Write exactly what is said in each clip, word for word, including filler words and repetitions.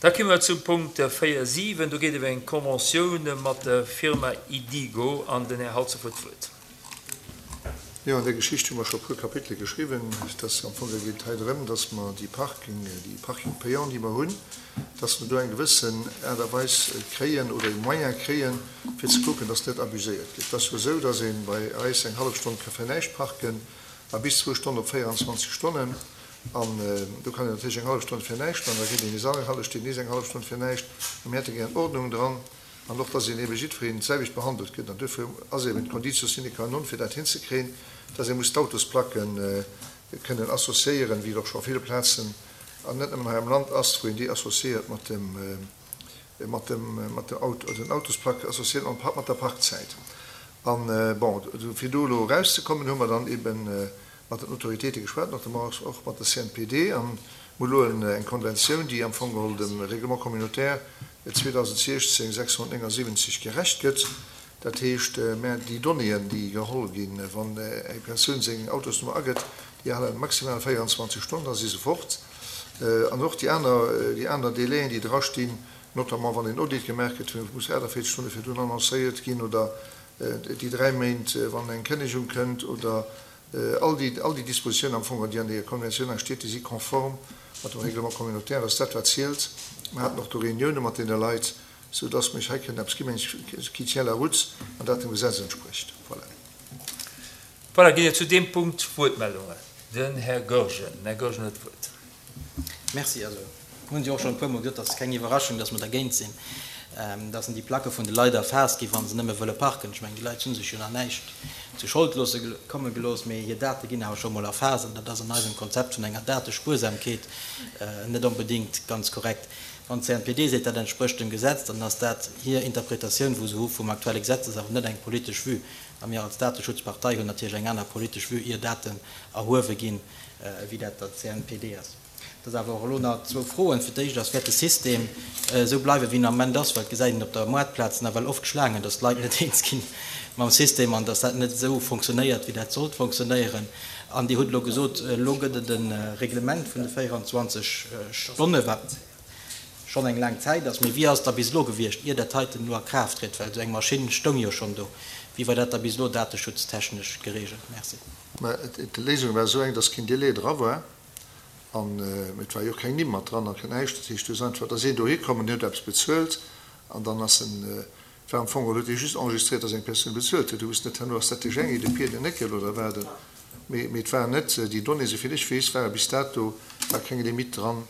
Da komme mer zum Punkt véier siwen. Do geet et ëm eng Conventioun mat der Firma Idigo an den Här Halsdorf huet d'Wuert. Jo, an där Geschicht hu mer scho e puer Kapitele geschriwwen. Et ass am Fong, et geet hei drëm, dass mer déi Parking, déi Parking payant, déi mer hunn, dass mer do eng gewëssen Aart a Weis kréien oder e Moyen kréien, fir ze kucken, dass net abuséiert gëtt. Et ass jo esou, dass ee bei eis eng hallef Stonn ka fir näischt parken a bis zwou Stonnen op véierundzwanzeg Stonnen. An do kann een natierlech eng hallef Stonn fir näischt an da kritt een nees eng hallef Stonn, nees eng hallef Stonn fir näischt. A mir hätte gär Ordnung dran an och, dass een eebe jiddwereen d'selwecht behandelt gëtt. An duerfir ass eeben d'Conditio sine qua non, fir dat hinzekréien, dass ee muss d'Autosplacke kënnen associéieren, wéi et och scho a ville Plazen, an net nëmmen hei am Land ass, wou een déi associéiert mat dem, mat dem, mat der Auto, den Autosplack associéiert mat, mat der Parkzäit. An, bon, fir do elo erauszekommen, hu mer dann eeben mat den Autoritéite geschwat, notamment och mat der C N P D, an mir hu elo eng Konventioun, déi am Fong geholl dem Règlement communautaire zweedausendsechzéng sechshonnertnéngesiwwenzeg gerecht gëtt. Dat heescht, mä déi Donnéeën, déi geholl ginn, wann eng Persoun seng Autosnummer agëtt, déi hale maximal véierundzwanzeg Stonnen, da si se fort. An och déi aner, déi aner Délaien, déi drastinn, notamment wann een Audit gemaach gëtt, muss aachtenvéierzeg Stonne virdrun annoncéiert ginn, oder déi dräi Méint, wann eng Kënnegung kënnt, oder all déi, all déi Dispositiounen am Fong, déi an der Konventioun steet, déi si konform mat dem Règlement communautaire. Ass dat, wat zielt. Mir haten och do Reunioune mat deene Leit, soudass mech hei kënnt eppes ginn, qui tient la route an dat dem Gesetz entsprécht. Voilà. Voilà, ginn et zu deem Punkt Wuertmeldungen? Den Här Goergen. Den Här Goergen huet d'Wuert. Merci. Also hunn Sie och schonn e puermol gesot, dat ass keng Iwwerraschung, dass mer dergéint sinn, dass déi Placke vun de Leit erfaasst ginn, wa se nëmme wëlle parken. Ech mengen, déi Leit hu sech jo nach näischt zu Schold loosse komme gelooss, mee hir Date ginn awer scho mol erfaasst an dat ass an eisem Konzept vun enger Datespuersamkeet net onbedéngt ganz korrekt. Wann d'C N P D seet, dat entsprécht dem Gesetz, dann ass dat hir Interpretatioun, wou se hu vum aktuelle Gesetz, ass awer net eng politesch Vue. A mir als Dateschutzpartei hunn natierlech eng aner politesch Vue, ier Daten erhuewe ginn, wéi dat der C N P D ass. Dat awer och elo nach zwou Froen. Fir d'éischt ass, wäert de System esou bleiwen, wéi en am Moment ass, well et gesäit een op der Moartplaz nawell oft Schlaangen, dass d'Leit net eens ginn mam System an dass dat net esou funktionéiert, wéi dat sollt funktionéieren. An Dir hutt elo gesot, elo gëtt et e Reglement vun de véierundzwanzeg Stonne, wat schonn eng laang Zäit ass. Mee wéi ass da bis elo gewiescht, ier dat heiten elo a Kraaft trëtt? Well esou eng Maschinn stoung jo schonn do. Wéi war dat da bis elo dateschutztechnesch gereegelt? Merci. Mä d'Léisung war esou eng, dass keen Delai dra war an et war jo och keng Nimm mat dran a keen näischt. Dat heescht, du ass einfach, da sinn dohi komm an huet eppes bezuelt an dann ass en, war am Fong, huet dee just enregistréiert, dass eng Persoun bezuelt huet. Du wusst net herno, ass dat de Jängi, de Pier, den Néckel oder wat. Mee, mee et war net déi Donnéeën, souvill ech weess, ware bis dato war keng Limite dran,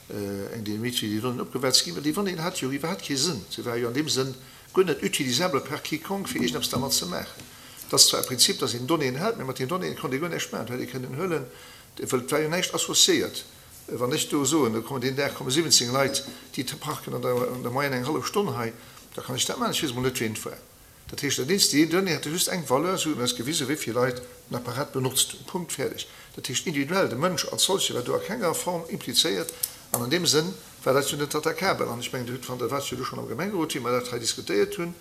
eng Limite, wéi déi Donnéeën opgewäert ginn. Well déi Donnéeën hat jo iwwerhaapt kee Sënn. Se war jo an deem Sënn guer net utilisable par quiconque, fir iergendeppes dermat ze maachen. Dat ass zwar e Prinzip, dass een Donnéeën hält, mee mat den Donnéeën konnt ee guer näischt maachen. Du hätt ee kënnen huelen, well et war jo näischt associéiert. Wann ech do soen, do kommen deen Dag komme siwwenzéng Leit, déi parken an der, an der Moyenne eng hallef Stonn hei, da kann ech dat maachen, ech weess emol net, wien et war. Dat heescht, dat eenzegt, déi Donnée hätte just eng Valeur, se hunn eis gewisen, wéi vill Leit den Apparat benotzt hunn. Punkt, fäerdeg. Dat heescht, individuell, de Mënsch als solche war do a kenger Form implizéiert an an deem Sënn war dat jo net attaquabel. An ech mengen, Dir hutt, wann Der waart jo do schonn am Gemengerot, wéi mer dat hei diskutéiert hunn,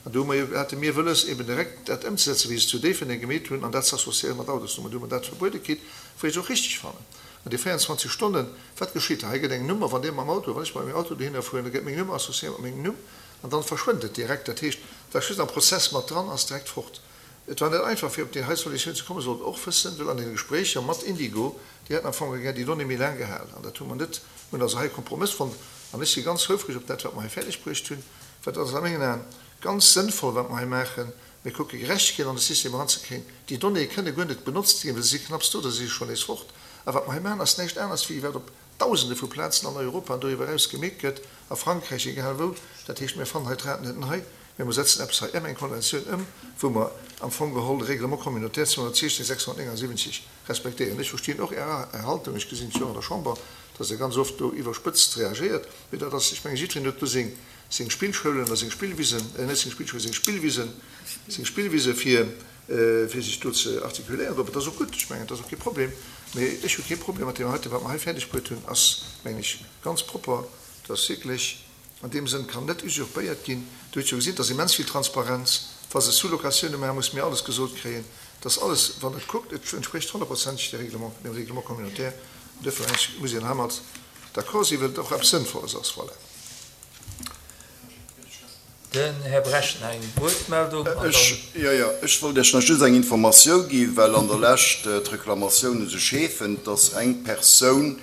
an do hu mer jo, hate mir wëlles, eben direkt dat ëmzesetzen, wéi se zu Déifferdeng gemeet hunn, an dat ze associéiere mat Autosnummer. Do hu mer dat verbuede kritt, wou ech et och richteg fannen. An déi véierundzwanzeg Stonnen, wat geschitt da? Hei gëtt eng Nummer, wann Dir mam Auto, wann ech mat mengem Auto dohinner fueren, da gëtt meng Nummer associéiert mat mengem Numm an dann verschwënnt et direkt. Dat heescht, dat ass just am Prozess mat dran, ass direkt fort. Et war net einfach, fir op déi hei Solutioun ze kommen, sollt och wëssen, well an den Gespréicher mat Indigo, déi haten am Fong gär déi Donnée méi laang gehal an dat hu mer net, mir hunn also hei e Kompromëss fonnt an ech si ganz houfreg op dat, wat mer hei fäerdeg bruecht hunn, well dat ass a mengen Aen ganz sënnvoll, wat mer hei maachen. Mir kucke Gerechtegkeet an de System eranzekréien. Déi Donnéeë kënne guer net benotzt ginn, well se si knapps do, da si se schonn nees fort. A wat mer hei maachen, ass näischt aneres wéi wat op Dausende vu Plazen an Europa an doriwwer eraus gemeet gëtt, a Frankräich, egal wou. Dat heescht, mir fannen hei d'Rad net nei, mee mer setzen eppes hei ëm, eng Konventioun ëm, wou mer am Fong geholl de Règlement communautaire zweehonnertsiechzehn sechshonnertnéngesiwwenzeg respektéieren. Ech verstinn och Är Haltung, ech gesinn et jo och an der Chamber, dass Der ganz oft do iwwerspëtzt reagéiert, mee dat ass, ech mengen, jiddwereen huet do seng seng Spillschoulen oder seng Spillwisen, net seng Spillschoulen, seng Spillwisen, seng Spillwise fir fir sech do ze artikuléieren. Dat ass och gutt, ech mengen, dat ass och kee Problem, mee ech hu kee Problem mat deem heiten. Wat mer hei fäerdeg bruet hunn, ass, mengen ech, ganz propper. Dat ass wierklech an deem Sënn, kann net usurpéiert ginn. Dir hutt jo gesinn, et ass immens vill Transparenz. Wa se Sous-locatioune maachen, musse mir alles gesot kréien. Dat ass alles, wann et kuckt, et entsprécht honnertprozenteg dem Règlement, dem Règlement communautaire. An duerfir, mengen ech, muss een heimat d'accord sinn, well et och eppes Sënnvolles ass. Voilà. Den Här Brecht nach eng Wuertmeldung an dann. Jo, jo, ech wollt Iech nach just eng Informatioun ginn, well an der Lescht d'Reklamatiounen sech heefen, dass eng Persoun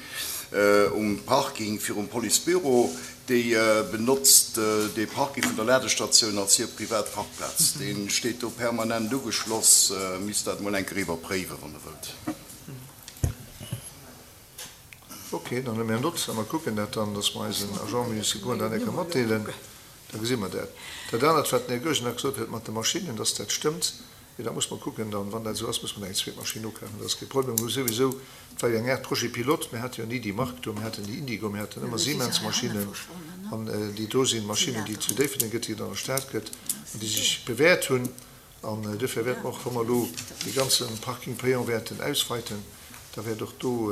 um Parking virum Policebüro, déi benotzt dee Parking vun der Ladestatioun als hir privat Parkplaz. Dee steet do permanent ugeschloss. Misst dat emol eng Kéier iwwerpréiwen, wann Der wëllt. Ok, dann huele mir Nott a mer kucken dat dann, dass mer eisen Agents municipaux dat eng Kéier matdeelen. Da gesi mer dat. Dat anert, wat den Här Goergen nach gesot huet mat de Maschinnen, dass dat stëmmt, jo, dat muss mer kucken dann. Wann dat esou ass, muss mer nach eng zweet Maschinn ukafen. Dat ass kee Problem. Mir hu souwisou, et war jo eng Aart Projet pilote, mir hate jo ni déi Mark do, mir haten déi Indigo, mir haten ëmmer Siemens-Maschinnen. An déi do si Maschinnen, déi et zu Déifferdeng gëtt, déi et an der Stad gëtt an déi sech bewäert hunn. An duerfir wäerte mer och, wa mer elo dee ganze Parking payant wäerten ausweiten, da wäert och do,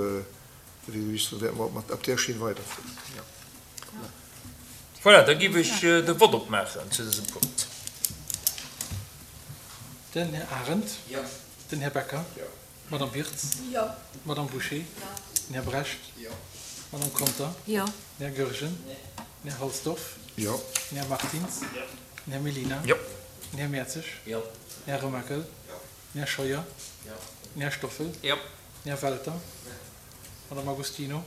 wéi gesot, wäerte mer och mat op där Schinn weiderfueren. Jo. Voilà, da géif ech de Vott opmaachen zu dësem Punkt. Den Här Arendt. Den Här Becker. D'Madame Wirtz. D'Madame Bouché. Den Här Brecht. D'Madame Conter. Den Här Goergen. Den Här Halsdorf. Den Här Martins. Den Här Mellina. Den Här Mertzig. Den Här Remakel. Den Här Scheuer. Den Här Stoffel. Den Här Welter. D'Madame Agostino.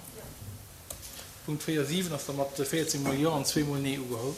Punkt véier siwen ass da mat véierzéng mol Jo an zwee mol Nee ugeholl.